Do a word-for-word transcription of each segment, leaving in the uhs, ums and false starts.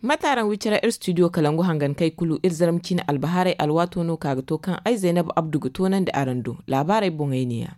Mate araŋ wicira iri studio kalangu hangan kay kulu iri zarma ciine albahaarey alwaato no ka ga to kaŋ ay zaynab abdu ga toonandi araŋ do. Laabaarey boŋey ne ya.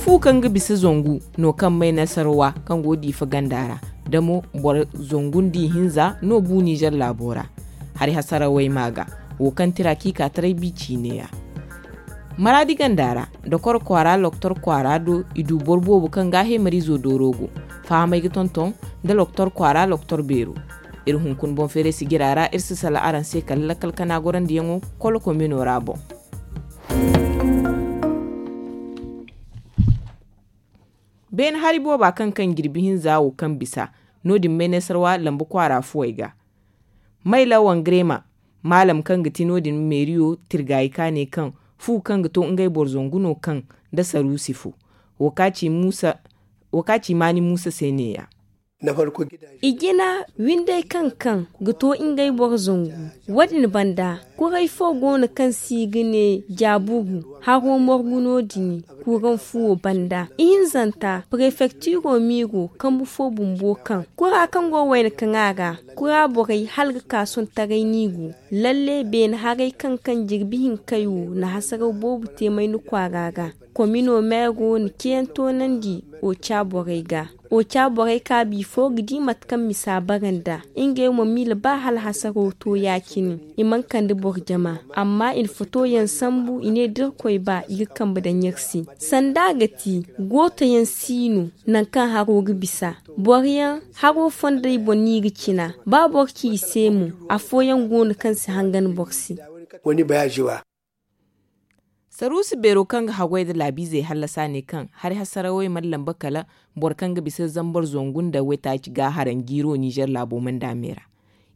Fu kaŋ ga bisa zangu no kaŋ may nasarawa kaŋ go diifa ganda ra, da mo boro zangu nda ihinza no bu nizer laabo ra. Hari hasarawey ma ga wo kaŋ tira k'i ka taray bi ciine ya. Maraadi ganda ra, dokor kwaara loktor kwaara do i du boro boobo kaŋ ga heemariizo dooro go. Fahamey ga tonton nda loktor kwaara loktor beero. Iri hunkuna boŋ feeray sijira ra iri si sala araŋ se kala lakkal kana gorandiyaŋo kolo komino ra boŋ. Beene hari booba kaŋ kaŋ jirbi hinza wo kaŋ bisa no- din may naysarwa lamba kwaara fuwey ga. Mayla wangreema maalam kaŋ ga ti no- din meeriyo tirgaayi ka ne kaŋ fu kaŋ ga to ngey boro zangu no kaŋ nda saruusi fo. Wo ka ci maani muusa se neeya. I jina windey kaŋ kaŋ ga to ngey boro zangu. Wo- din banda kuray fo go no kaŋ se i ga ne jaabugu haro morgu no- din. Kuuraŋ fuwo banda ihinzanta prefektiro miiro kambu fo bumbo kaŋ kura kaŋ go wayna kaŋ a ra kura borey hala ga ka sohõ taray no i go. Lalle beene haray kaŋ kaŋ jirbi hinkey wo na hasaraw boobo te mayna kwaara ra. Komino meero na ceeyaŋ toonandi oca borey ga. Oca borey ka bifo ga di mate kaŋ misa bara nd'a ngey mo miila ba hala hasaro to ya- cine. I mana kande boro jama amma i na fotoyaŋ sambu i ne da irkoy ba i ga kambe daŋ iri se. Sanda ga ti gootoyaŋ si no nangu kaŋ haro ga bisa. Boro yaŋ haro fondey boŋ no i ga cina ba boro ci i se mo. Afooyaŋ go no kaŋ si hangan boro se. Saruusi beero kaŋ ga haggoy nda laabiizey hallasa ne kaŋ hari hasarawey mana lamba kala boro kaŋ ga bisa zambar zangu nda waytaaci ga haraŋ jiiro nizer laabo mandaamey ra.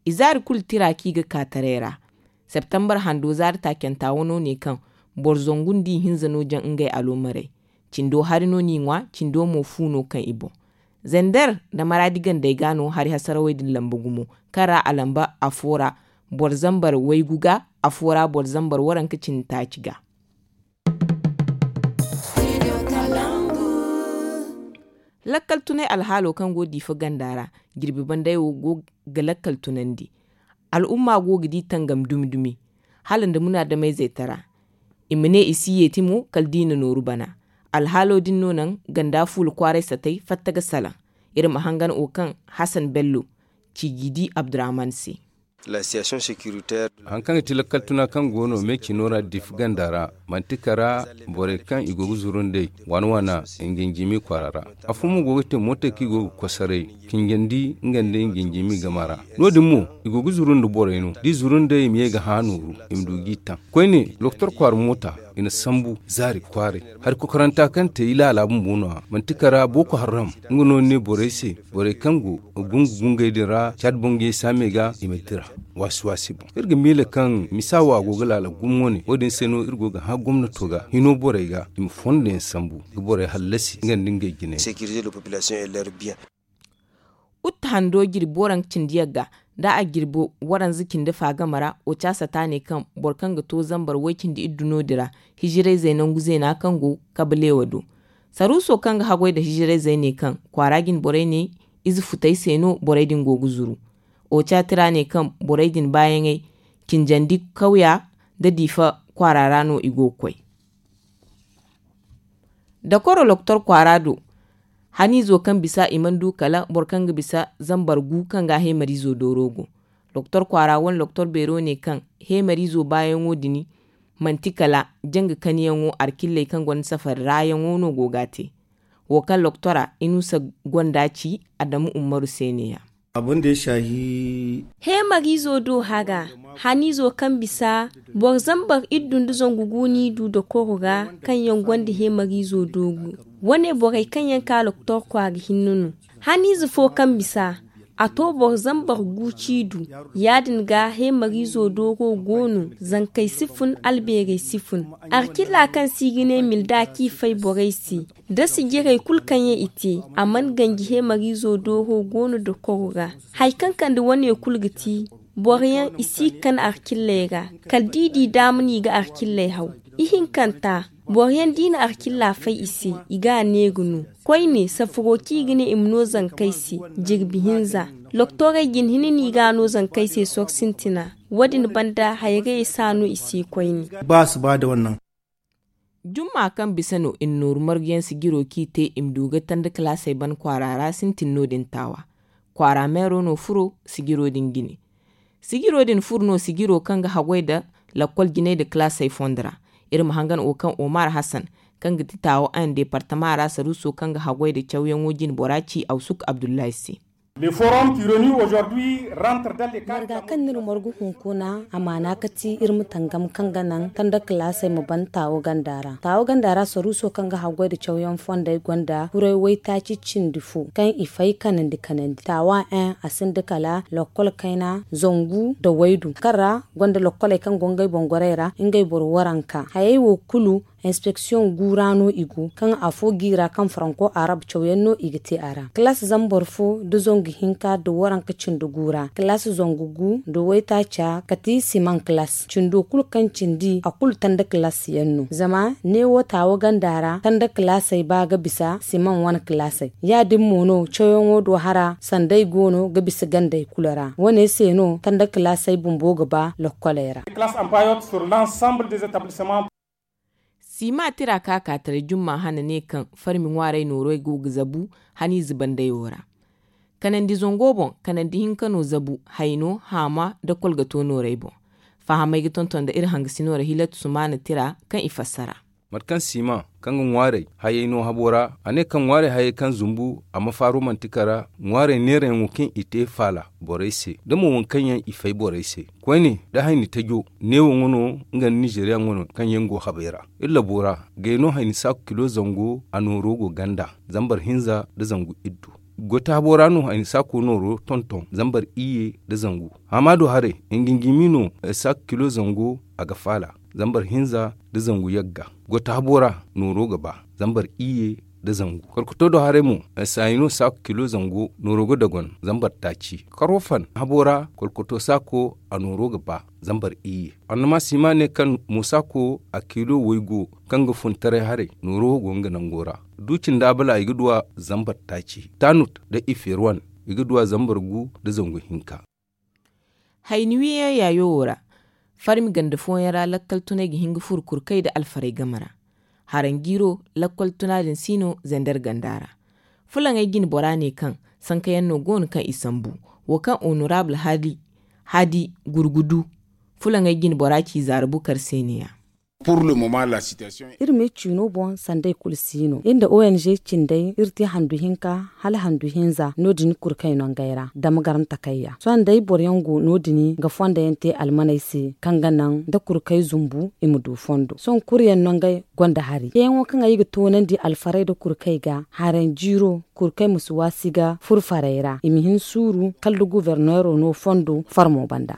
I zaari kulu tira kaŋ i ga ka taray ra. Septembar hando zaari taacanta wano ne kaŋ boro zangu nda ihinza no jaŋ ngey aloomarey. Cindo hari no n'i ŋwa cindo mo fu no kaŋ i boŋ. Zender nda maraadi gandey ga no hari hasarawey din lamba gumo kaŋ ra a lamba afo ra boro zambar waygu ga, afo ra boro zambar waranka cindi taaci ga. Lakkal tunay alhaalo kaŋ go diifa ganda ra jirbi banday wo go ga lakkal tunandi. Al'umma go ga di tangam dumi dumi hala nda munaadamayzey tara. I ma ne i si yeeti mo kala da i na nooru bana. Alhaalo din no naŋ ganda fuula kwaaray satay fatta ga salaŋ. Iri ma hangan wo kaŋ hasan bello ci g'i di abdurahman se. Hari kaŋ ga ti lakkal tuna kaŋ go no me cino ra diifa ganda ra manti kara borey kaŋ i go ga zuru nd'ey waana waana. Nginjimi kwaara ra afo mo go ga te mootey kaŋ i go ga kosoray. Kinjandi nga nda nginjimi gama ra no- din mo i go ga zuru nda borey no da i zuru nd'ey i ma ye ga hã nooru. I ma du g'i taŋ koyne doktor kwaara moota i na sambu zaari kwaaray. Hari kokoranta kaŋ te i laala bumbo no- ya manti kara booko harram. Nga no ni ne borey se borey kaŋ go gungu gungey din ra caadi bangey saamey ga i ma dira waasi waasi boŋ. Iri ga miila kaŋ misa wo a go ga laala gumo wane wo- din se no iri go ga hã gomnato ga hino borey ga i ma fondo yaŋ sambu ga borey hallasi nga nda ngey jinay. Utte hando jirbi waranka cindi yagga da a jirbi waranza cindi fa game ra wo caasa ta ne kaŋ boro kaŋ ga to zambar way-cindi iddu no- din ra hijirayzey nangu zeena kaŋ go kabaleewa do. Saruuso kaŋ ga haggoy nda hijirayzey ne kaŋ kwaara jine borey ne ize futey se no borey din go ga zuru. Wo caati ra ne kaŋ borey din baayaŋey cinjandi kawya nda diifa kwaara ra no i go ga koy. Dakoro doktor kwaara do haniizo kaŋ bisa i mana du kala boro kaŋ ga bisa zambar gu kaŋ ga heemariizo dooro go. Doktor kwaara wane doktor beero ne kaŋ heemariizo baayaŋo din manti kala janga kaniyaŋo alkilley kaŋ gonda safari raayaŋo no go ga a te. Wo kaŋ doktora inusa gonda ci adamu ummaru se ne- ya. Heemariizo do haga haniizo kaŋ bisa boro zambar iddu nda zangu gu n'i du dokoro ra kaŋ yaŋ gonda heemariizo dooru. Wane borey kaŋ yaŋ ka doktor kwaara hinne no. Haniize fo kaŋ bisa a to boro zambar gu c'i du. Ya- din ga heemariizo dooro go no zankey si fun albeerey si fun. Alkilla kaŋ se i ga ne milda kaŋ i fay borey se da sijirey kulu kaŋ yaŋ i te a mana ganji heemariizo dooro go no dokoro ra. Hari kaŋ kande wane kulu ga ti boro yaŋ i si ga kan alkilley ra kala da i di daama no i ga alkilley haw. Ihinkanta boro yaŋ da i na alkilla fay i se i ga a neera no. Koyne safaro kaŋ i ga ne i ma no zankey se jirbi hinza Doktorey jin hini no i ga a no zankey se sooru sintina. Wo- din banda hayagayey si a no i se koyne. Ba si ba da wannan. Jumma kaŋ bisa no i na nooru margu yaŋ sijiro kaŋ i te i ma du ga tanda kalaasey ban kwaara ra sintin no- din taawa. Kwaara meero no furo sijiro din jine. Sijiro din furo no sijiro kaŋ ga haggoy nda lakkol jinay nda kalaasey fondo ra. Iri ma hangan wo kaŋ omar hasan, kaŋ ga ti taawo a nda deepartama ra saruuso kaŋ ga haggoy nda cawyaŋo jine bora ci awsuk abdullahi se. Marga kaŋ no iri margu hunkuna a maana ga ti iri ma tangam kaŋ ga naŋ tanda kalaasey ma ban taawo ganda ra. Taawo ganda ra saruuso kaŋ ga haggoy nda cawyaŋ fondey gonda kuray waytaaci cindi fo kaŋ i fay kanandi kanandi taawa en a sinda kala lakkol kayna zangu nda waydu kaŋ ra gonda lakkoley kaŋ go ngey boŋ gorey ra ngey boro waranka hayey wo kulu. Inspeksiyoŋ gu ra no i go kaŋ afo gi ra kaŋ faranko arab cawyaŋ no i ga te a ra kalaas zambar fo nda zangu hinka nda waranka cindi gu ra kalaas zangu gu nda waytaaca kati siman kalaas cindo kulu kaŋ cindi a kulu tanda kalaas yaŋ no zama neewo taawo ganda ra tanda kalaasey ba ga bisa siman wane kalaasey ya- din mo no cawyaŋo do hara sanday go no ga bisa gandey kulu ra wo- ne se no tanda kalaasey bumbo ga ba lokkoley ra. Siima tira ka ka taray jumma hane ne kaŋ farmi ŋwaarey noorey go ga zabu haniize bandayo ra. Kanandi zango boŋ kanandi hinka no zabu hayno haama nda kolgato noorey boŋ. Fahamey ga tonton nda iri hangasino ra hilatu sumaana tira kaŋ i fassara. Mate kaŋ siima kaŋ ga ŋwaarey hayey no habo ra a ne kaŋ ŋwaarey hayey kaŋ zumbu a ma faaro manti kara ŋwaarey neerayaŋo kaŋ i te faala borey se da mo waŋ kaŋ yaŋ i fay borey se. Koyne da hayni tajo neewo ŋwa no nga nda nizeriya ŋwa no kaŋ yaŋ go habey ra. Iri labo ra gay no hayni saaku kilo zango a nooro go ganda zambar hinza nda zangu iddu. Goy taabo ra no hayni saako nooro tonton zambar iyye nda zangu. Haama do haray, ngingimi no saako kilo zango a ga faala zambar hinza nda zangu yagga. Goy taabo ra nooro ga ba zambar iyye nda zangu. Kolkoto do haray mo, saayi no saako kilo zango nooro ga dogon zambar taaci. Karofan habo ra kolkoto saako a nooro ga ba zambar iyye. Annama si ma ne kaŋ mo saako a kilo waygu kaŋ ga fun taray haray nooro go nga nango ra. Du cindi abala i ga duw'a zambar taaci tanut nda iferwan i ga duw'a zambar gu nda zangu hinka. Hayni wiyaŋ yaayo wo ra farmi ganda fooyaŋ ra lakkal tunay ga hin ga furo kurkay nda alfarey game ra. Haranjiiro lakkal tuna din si no zander ganda ra. Fulaŋey jine bora ne kaŋ sankayaŋ no go no kaŋ i sambu wo kaŋ honorable hadi gurgudu fulaŋey jine bora ci zaara bukar se ne- ya. Iri me ciino boŋ sanday kulu si no iri nda ong cindey iri te handu hinka hala handu hinza no- din kurkay nongey ra dama garan takayya sohõ day boro yaŋ go no- din ga fondo yaŋ te almaney se kaŋ ga naŋ da kurkay zumbu i ma du fondo sohõ kuru yaŋ nongey gonda hari ceeyaŋo kaŋ ay ga toonandi alfarey nda kurkay ga haranjiiro kurkay ma si waasi ga furfarey ra i ma hin suuru kala da guberneero no fondo farmo banda.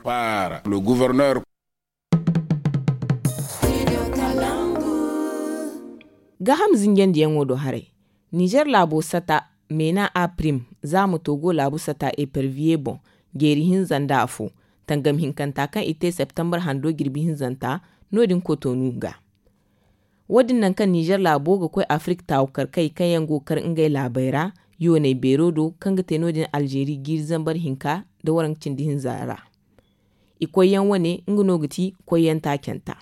Gaaham zinjandiyaŋo do haray. Nizer laabo sata meena a prim za ma to go laabu sata eperviye boŋ jeeri hinza nda afo tangam hinkanta kaŋ i te septembar hando jirbi hinzanta no- din kotonu ga. Wo- din nangu kaŋ nizer laabo ga koy afirik taawu karkey kaŋ yaŋ go ga kar ngey laabey ra yooney beero do kaŋ ga te no- din alzeeri jiiri zambar hinka nda waranka cindi hinza ra. I koyyaŋ wane nga no ga ti koyyaŋ taacanta.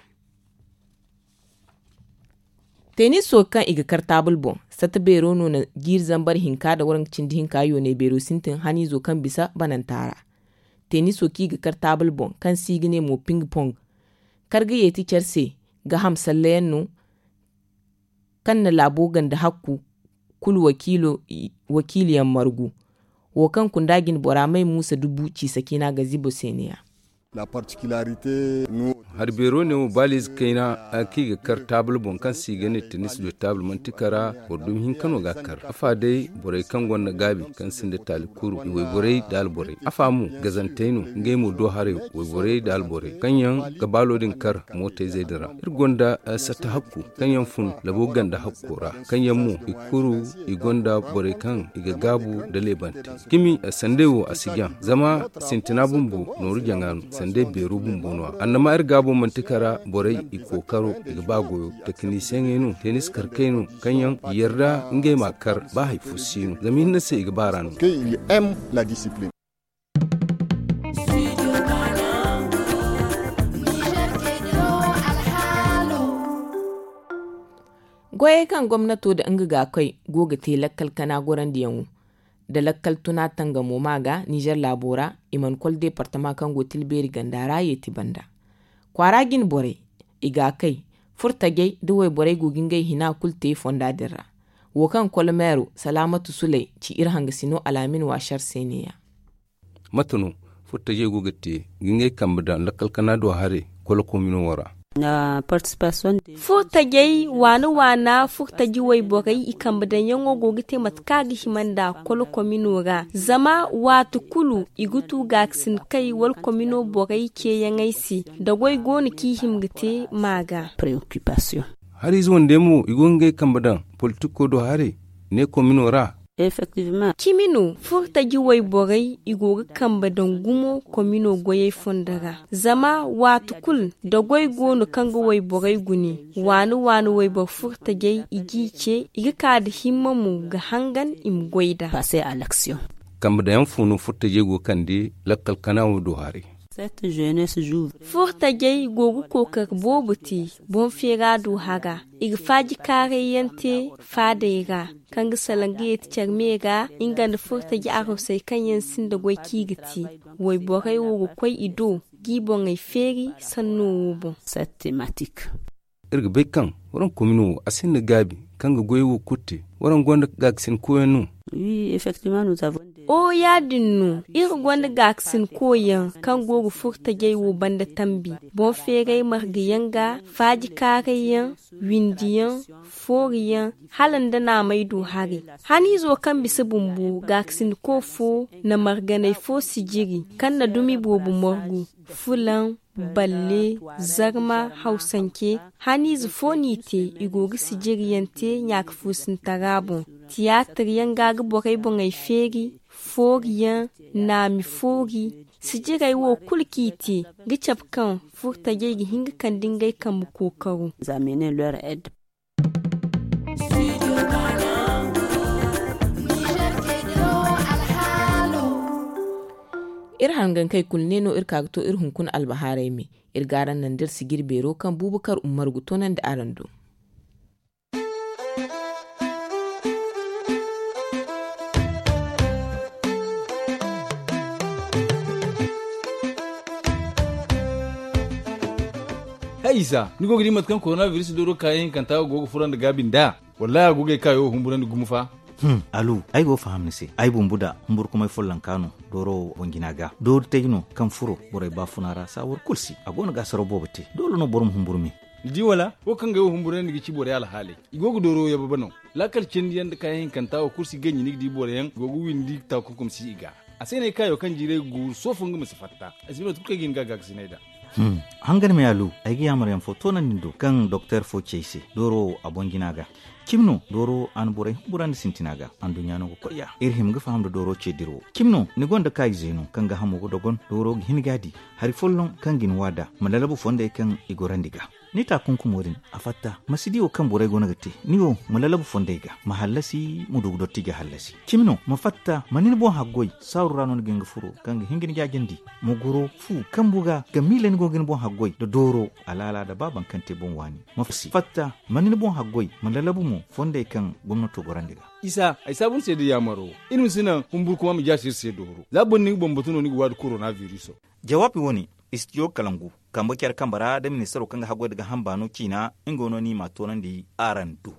Teeniso kaŋ i ga kar taabul boŋ sata beero no na jiiri zambar hinka nda waranka cindi hinka yooney beero sintin haniizo kaŋ bisa bananta ra. Teeniso kaŋ i ga kar taabul boŋ kaŋ se i ga ne mo ping pong kar ga yeeti care se gaaham sallayaŋ no kaŋ na laabo ganda hakku kulu wakiiliyaŋ margu wo kaŋ kunda jine bora may muusa dubu ciisa ciina ga zibo se ne- ya. Hari beero ne wo baaliize kayna kaŋ i ga kar taabul boŋ kaŋ se i ga ne tenis de taabul manti kara boro dumi hinka no ga a kar afa day borey kaŋ gonda gaabi kaŋ sinda taali kuru i wayborey nda alborey afa mo gazantey no ngey mo do haray wayborey nda alborey kaŋ yaŋ ga baalo din kar mootayzey din ra. Iri gonda satta hakku kaŋ yaŋ fun labo ganda hakko ra kaŋ yaŋ mo i kuru i gonda borey kaŋ i ga gaabu nda leebante. Cimi sanday wo a si jaŋ zama sintina bumbo nooru jaŋa no sanday beero bumbo no- ya annama iri gaabo manti kara borey i kookaro i ga ba goyo tekinisiyeŋey no tenis karkey no kaŋ yaŋ i yarda ngey ma kar ba hari fo si no zama hinne se i ga ba ra no. Kaŋ i ga m la disipilin. Goyey kaŋ gomnato nda nga gaakoy go ga te lakkal kana gorandiyaŋo nda lakkal tuna tangamo ma ga nizer laabo ra, i mana kol deepartama kaŋ go tilbeeri ganda ra yeeti banda. Kwaara jine borey, i gaakay, furtajey nda wayborey go ga ngey hina kulu te fonda din ra. Wo kaŋ kol meero salaamatu suley ci iri hangasino alaamin waasar se ne-ya. Mate no furtajey go ga te ga ngey kambe daŋ lakkal kana do haray kol komino wo ra? Furtajey waana waana furtaji wayborey i kambe daŋyaŋo go ga te mate kaŋ a ga hima nd'a kol komino ra, zama waati kulu i ga tu gaakasin kay wala komino borey ceeyaŋey se, da goy go no kaŋ i hima ga te ma ga. Hariize wande mo i go ga ngey kambe daŋ politiko do haray ne komino ra? Cimi no furtaji wayborey i go ga kambe daŋ gumo komino goyey fondo ra, zama waati kulu da goy go no kaŋ ga wayborey gune, waani waani wayboro furtajey i g'i ce, i ga ka nda himma mo ga hangan i ma goy nd'a. Kambe daŋ yaŋ fo no furtajey go ga kande lakkal kana wo do haray? Furtajey go ga kookari boobo te boŋ feera do hara, i ga faaji kaaray yaŋ te faadey ra, kaŋ ga salaŋ ga yeeti care me ra nga nda furtaji arosey kaŋ yaŋ sinda goy kaŋ i ga te. Wayborey wo ga koy i do g'i boŋey feeri sanno wo boŋ. Iri ga bay kaŋ waraŋ komino wo a sinda gaabi kaŋ ga goyey wo kulu te. Waraŋ gonda gaakasin koyyaŋ no? Oo, yaadin no. Iri gonda gaakasin koyyaŋ kaŋ go ga furtajey wo banda tambi, boŋ feeray marga yaŋ ga, faaji kaaray yaŋ, windi yaŋ, foori yaŋ, hala nda naamay do haray. Haniizo kaŋ bisa bumbo gaakasin ko fo na marganay fo sijiri kaŋ na dumi boobo margu, fulaŋ, balle, zarma, hawsance. Haniize fo n'i te, i go ga sijiriyaŋ te ɲaaka fuusintara boŋ. Tiyaatir yaŋ ga ga borey boŋey feeri, foori yaŋ, naami foori. Sijirey wo kulu kaŋ i te ga cabe kaŋ furtajey ga hin ga kande ngey kambe kookaro. Iri hangankey kulu ne no iri ka ga to iri hunkuna albahaarey me. Iri ga araŋ naŋ da iri sijiri beero kaŋ buubakar ummar ga toonandi araŋ do. Hay isa, ni go ga di mate kaŋ koronabiris dooro kaayaŋ hinkanta go ga fura nda gaabi nd'a? Wallaahi a go ga ay kaayo humburandi gumo fa. Alu, ay go ga faham ni se. Ay bumbo da humburkumay follonka no dooro boŋ jina ga. Doori taji no kaŋ furo borey baafuna ra saawar kulu se. A go no ga asaraw boobo te. Doole no boro ma humburu me. Ni di wala? Wo kaŋ ga ay wo humburandi ga ci borey alhaaley, i go ga dooro yababe no. Laakal cindi yaŋ nda kaayaŋ hinkanta wo kulu si ganji ni ga di boro yaŋ go ga windi taakunkum si i ga. A se no ay kaayo kaŋ jiiray ga guuru soofo nga ma si fatta. Ay si ba no tun kaŋ ay ga hin ga gaakasinay nd'a. Hangan me alu, ay ga yaamar yaŋ fo toonandi ni do kaŋ doktor fo ci ay se dooro wo a boŋ jina ga. Cimi no dooro a na borey humburandi sintina ga. Anduɲɲa no ga koy ya iri hima ga faham nda dooro ce dira wo. Cimi no ni gonda kaayize no kaŋ ga hamo ga dogon dooro ga hin ga a di. Hari folloŋ kaŋ ga ni wa nd'a ma lalabu fondey kaŋ i gorandi ga. Ni taakunkumo din a fatta ma si di wo kaŋ borey go no ga te. Ni wo ma lalabu fondey ga ma hallasi ma du ga dotti ga hallasi. Cimi no ma fatta ma ni ni boŋ haggoy saaru ra no ni ga hin ga furo kaŋ ga hin ga ni jaajandi. Ma goro fu kambu ga ga miila ni go ga ni boŋ haggoy nda dooro alaala nda baaban kaŋ te boŋ waani. Ma fatta ma ni ni boŋ haggoy ma lalabu mo fondey kaŋ gomnato gorandi ga. Isa ay saabu ni se nda yaamaro. Iri ma si naŋ humburu kuma ma jaasi iri se dooro za boro ni ga bambatu no ni ga waadi korona biriso. Jawaabi wo-ne, istijo kalangu kambe care kambe ra nda ministaro kaŋ ga haggoy nda ga hamba no ciina. Nga no ni ma a toonandi araŋ do.